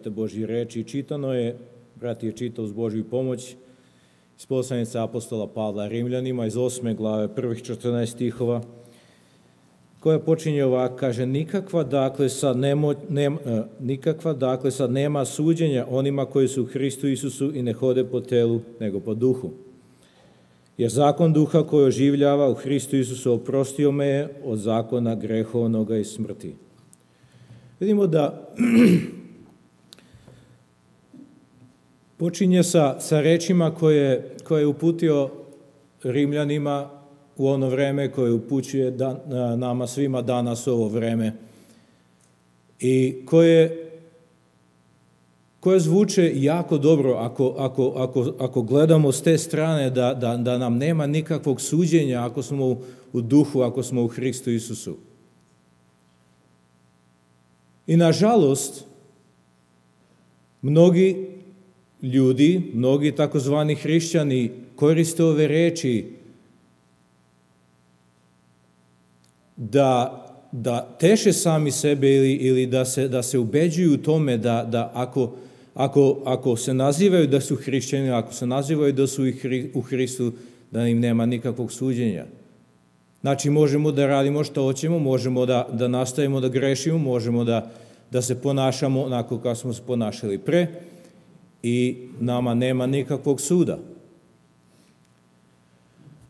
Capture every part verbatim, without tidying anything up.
slobodite Božji reči. Čitano je, brat je čitao uz Božju pomoć, iz poslanice apostola Pavla Rimljanima, iz osme glave, prvih četrnaest stihova, koja počinje ovako, kaže, nikakva dakle sad, nemo, nema, nikakva dakle sad nema suđenja onima koji su u Hristu Isusu i ne hode po telu, nego po duhu. Jer zakon duha koji oživljava u Hristu Isusu oprostio me je od zakona grehovnoga i smrti. Vidimo da počinje sa, sa rečima koje, koje je uputio Rimljanima u ono vreme, koje upućuje dan, nama svima danas u ovo vreme i koje, koje zvuče jako dobro ako, ako, ako, ako gledamo s te strane da, da, da nam nema nikakvog suđenja ako smo u, u duhu, ako smo u Hristu Isusu. I nažalost, mnogi ljudi, mnogi takozvani hrišćani koriste ove reči da, da teše sami sebe ili, ili da, se, da se ubeđuju u tome da, da ako, ako, ako se nazivaju da su hrišćani, ako se nazivaju da su u Hristu, da im nema nikakvog suđenja. Znači, možemo da radimo što hoćemo, možemo da, da nastavimo da grešimo, možemo da, da se ponašamo onako kao smo se ponašali pre i nama nema nikakvog suda.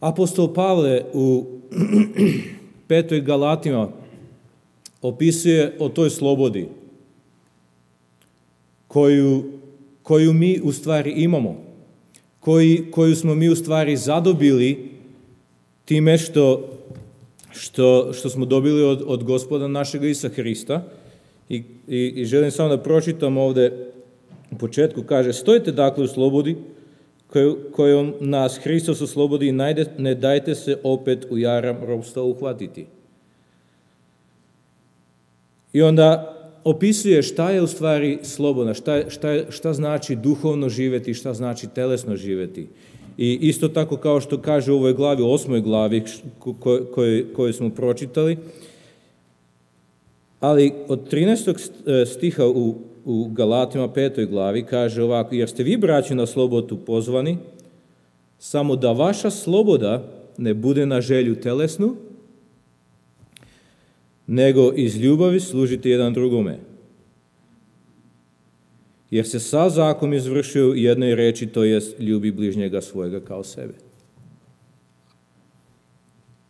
Apostol Pavle u petoj Galatima opisuje o toj slobodi koju, koju mi u stvari imamo, koji, koju smo mi u stvari zadobili time što, što, što smo dobili od, od Gospoda našeg Isusa Hrista. I, i, i želim samo da pročitam ovde u početku, kaže, stojite dakle u slobodi koju, kojom nas Hristos oslobodi i najde, ne dajte se opet u jaram ropstva uhvatiti. I onda opisuje šta je u stvari slobodna, šta, šta, šta znači duhovno živeti, šta znači telesno živeti. I isto tako kao što kaže u ovoj glavi, osmoj glavi koju, koju smo pročitali, ali od trinaestog stiha u, u Galatima petoj glavi kaže ovako, jer ste vi, braći, na slobodu pozvani, samo da vaša sloboda ne bude na želju telesnu, nego iz ljubavi služite jedan drugome. Jer se sav zakon izvršio u jednoj reči, to jest ljubi bližnjega svojega kao sebe.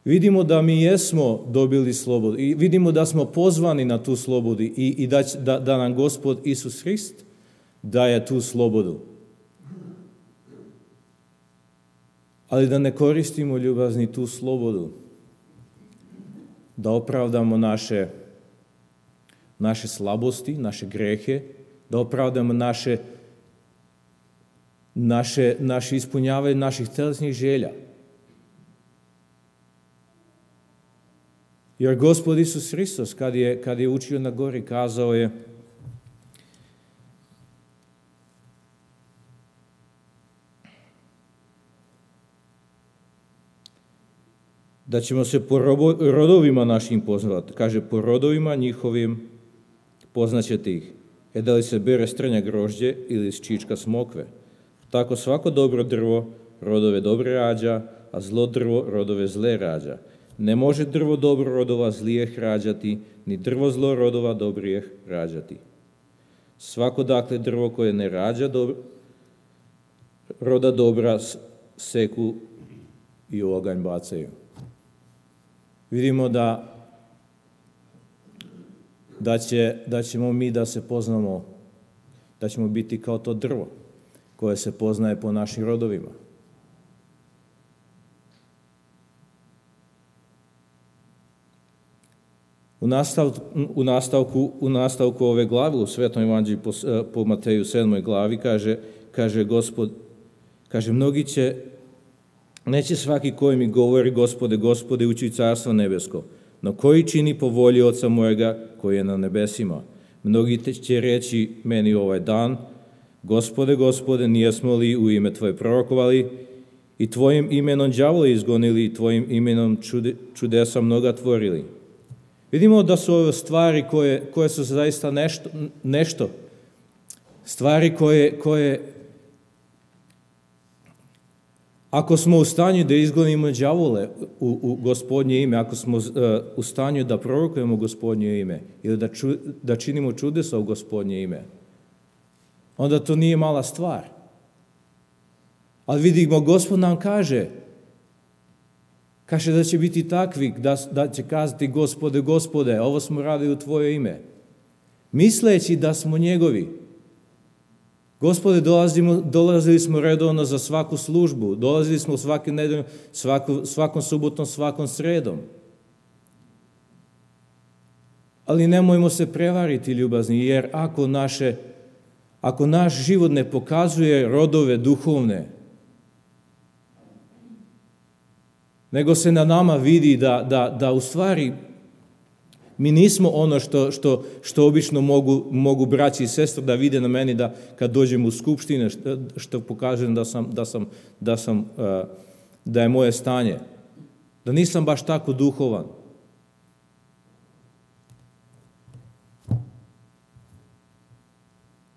Vidimo da mi jesmo dobili slobodu i vidimo da smo pozvani na tu slobodu i, i da, da, da nam Gospod Isus Hrist daje tu slobodu. Ali da ne koristimo, ljubazni, tu slobodu da opravdamo naše, naše slabosti, naše grehe, da opravdamo naše, naše, naše ispunjavanje naših telesnih želja. Jer Gospod Isus Hristos, kad je, kad je učio na gori, kazao je da ćemo se po rodovima našim poznavati. Kaže, po rodovima njihovim poznaćete ih. E da li se bere strnja grožđe ili iz čička smokve. Tako svako dobro drvo rodove dobre rađa, a zlo drvo rodove zle rađa. Ne može drvo dobro rodova zlijeh rađati, ni drvo zlo rodova dobrijeh rađati. Svako dakle drvo koje ne rađa dobro, roda dobra seku i u oganj bacaju. Vidimo da, da, će, da ćemo mi da se poznamo, da ćemo biti kao to drvo koje se poznaje po našim rodovima. U nastavku, u nastavku, u nastavku ove glave, u Svetom evanđelju po, po Mateju sedmoj glavi, kaže, kaže Gospod, kaže, mnogi će, neće svaki koji mi govori, Gospode, Gospode, ući u carstvo nebesko, no koji čini po volji Oca mojega koji je na nebesima. Mnogi će reći meni ovaj dan, Gospode, Gospode, nijesmo li u ime Tvoje prorokovali i Tvojim imenom đavola izgonili i Tvojim imenom čude, čudesa mnoga tvorili. Vidimo da su ove stvari koje, koje su zaista nešto, nešto Stvari koje, koje ako smo u stanju da izgonimo đavole u, u Gospodnje ime, ako smo uh, u stanju da prorokujemo Gospodnje ime ili da, ču, da činimo čudesa u Gospodnje ime, onda to nije mala stvar. Ali vidimo, Gospod nam kaže, kaže da će biti takvi, da, da će kazati Gospode, Gospode, ovo smo radili u Tvoje ime. Misleći da smo njegovi. Gospode, dolazimo, dolazili smo redovno za svaku službu, dolazili smo svake nedelje, svaku, svakom subotom, svakom sredom. Ali nemojmo se prevariti, ljubazni, jer ako, naše, ako naš život ne pokazuje rodove duhovne, nego se na nama vidi da, da, da u stvari mi nismo ono što, što, što obično mogu, mogu braći i sestre da vide na meni da kad dođem u skupštine, što, što pokažem da sam, da sam, da sam, da je moje stanje. Da nisam baš tako duhovan.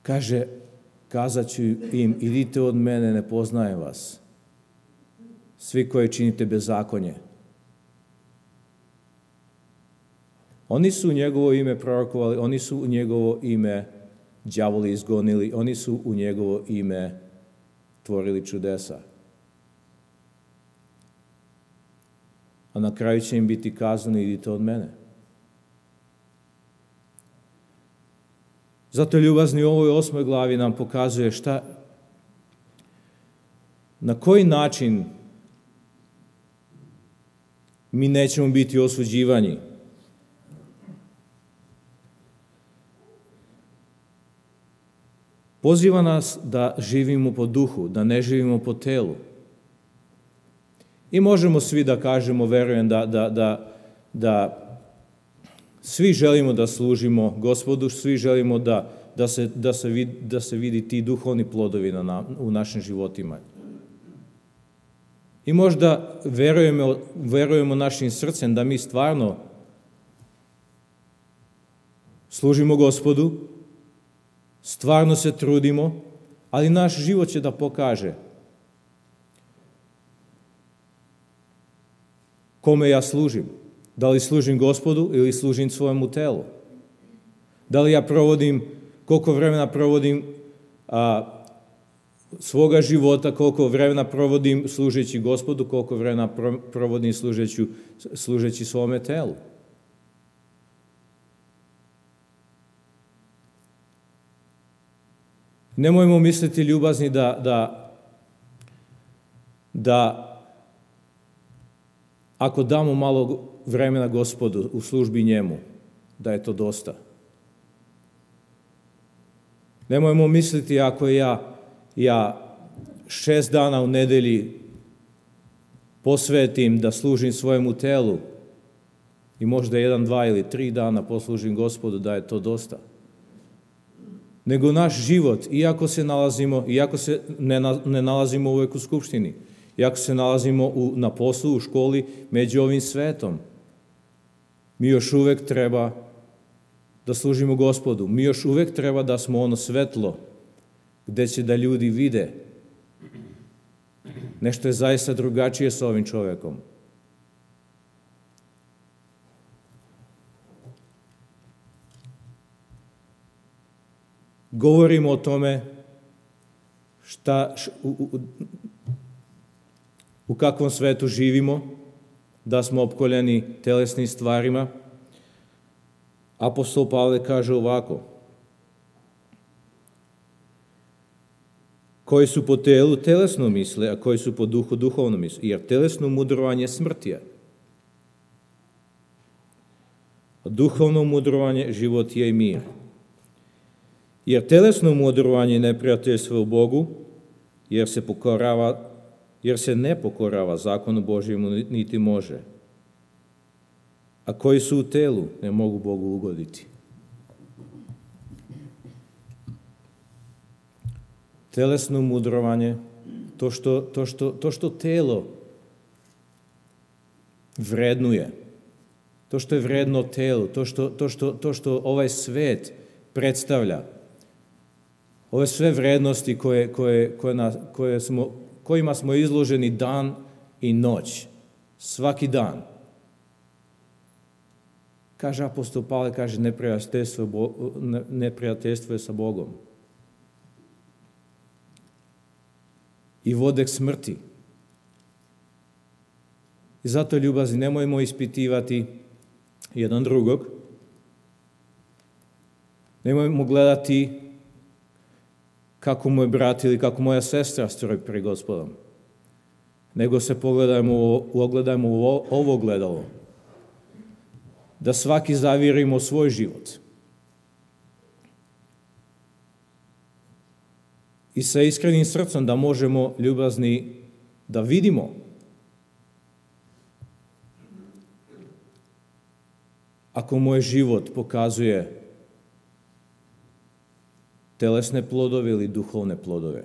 Kaže, kazat ću im, idite od mene, ne poznajem vas. Svi koji činite bezakonje. Oni su u njegovo ime prorokovali, oni su u njegovo ime đavoli izgonili, oni su u njegovo ime tvorili čudesa. A na kraju će im biti kazano, idite od mene. Zato ljubazni u ovoj osmoj glavi nam pokazuje šta, na koji način mi nećemo biti osuđivani. Poziva nas da živimo po duhu, da ne živimo po telu. I možemo svi da kažemo, verujem, da, da, da, da svi želimo da služimo Gospodu, svi želimo da, da, se, da, se, vidi, da se vidi ti duhovni plodovi na, u našim životima. I možda verujemo, verujemo našim srcem da mi stvarno služimo Gospodu, stvarno se trudimo, ali naš život će da pokaže kome ja služim. Da li služim Gospodu ili služim svojemu telu? Da li ja provodim, koliko vremena provodim a, svoga života, koliko vremena provodim služeći Gospodu, koliko vremena provodim služeći, služeći svome telu? Nemojmo misliti, ljubazni, da, da, da ako damo malo vremena Gospodu u službi njemu, da je to dosta. Nemojmo misliti, ako ja, ja šest dana u nedelji posvetim da služim svojemu telu i možda jedan, dva ili tri dana poslužim Gospodu, da je to dosta. Nego naš život, iako se nalazimo, iako se ne, ne nalazimo uvek u skupštini, iako se nalazimo u, na poslu, u školi, među ovim svetom, mi još uvek treba da služimo Gospodu. Mi još uvek treba da smo ono svetlo gde će da ljudi vide. Nešto je zaista drugačije sa ovim čovekom. Govorimo o tome šta, u, u, u kakvom svetu živimo, da smo opkoljeni telesnim stvarima. Apostol Pavle kaže ovako: koji su po telu telesno misle, a koji su po duhu duhovno misle, jer telesno mudrovanje smrt je, a duhovno mudrovanje život je i mir. Jer telesno mudrovanje je neprijateljstvo u Bogu, jer se pokorava, jer se ne pokorava zakonu Božjemu, niti može. A koji su u telu, ne mogu Bogu ugoditi. Telesno mudrovanje, to što, to što, to što telo vrednuje, to što je vredno telo, to što, to što, to što ovaj svet predstavlja, ove sve vrednosti koje, koje, koje, nas, koje smo, kojima smo izloženi dan i noć, svaki dan. Kaže apostol Pavle, kaže neprijateljstvo, neprijateljstvo je sa Bogom. I vode k smrti. I zato, ljubazni, nemojmo ispitivati jedan drugog. Nemojmo gledati kako moj brat ili kako moja sestra stoji pred Gospodom. Nego se pogledajmo, ogledajmo u ovo gledalo. Da svaki zavirimo svoj život. I sa iskrenim srcem da možemo, ljubazni, da vidimo ako moj život pokazuje telesne plodove ili duhovne plodove.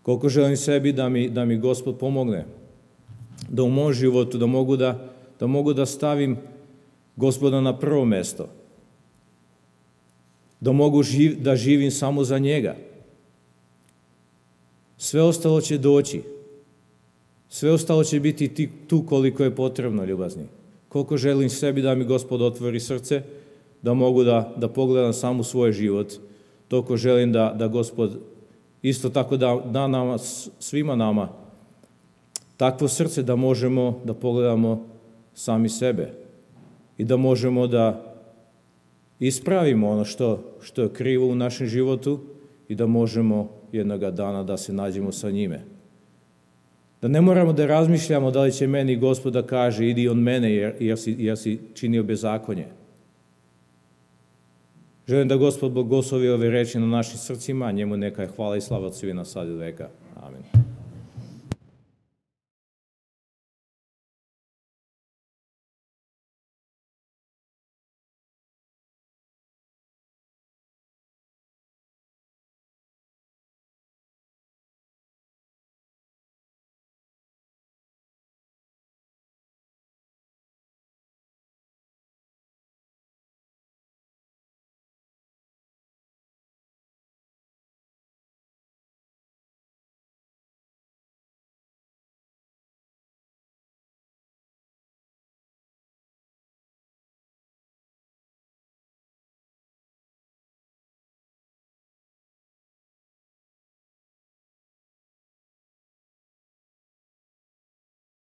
Koliko želim sebi da mi, da mi Gospod pomogne, da u mom životu da mogu da, da mogu da stavim Gospoda na prvo mesto, da mogu živ, da živim samo za njega. Sve ostalo će doći. Sve ostalo će biti tu koliko je potrebno, ljubazni. Koliko želim sebi da mi Gospod otvori srce, da mogu da, da pogledam samo svoj život, toliko želim da, da Gospod isto tako da, da nama, svima nama, takvo srce da možemo da pogledamo sami sebe i da možemo da ispravimo ono što, što je krivo u našem životu i da možemo jednoga dana da se nađemo sa njime. Da ne moramo da razmišljamo da li će meni Gospod da kaže idi od mene jer, jer, si, jer si činio bezakonje. Želim da Gospod blagoslovi ove reči na našim srcima, njemu neka je hvala i slava od svih na sad i veka. Amen.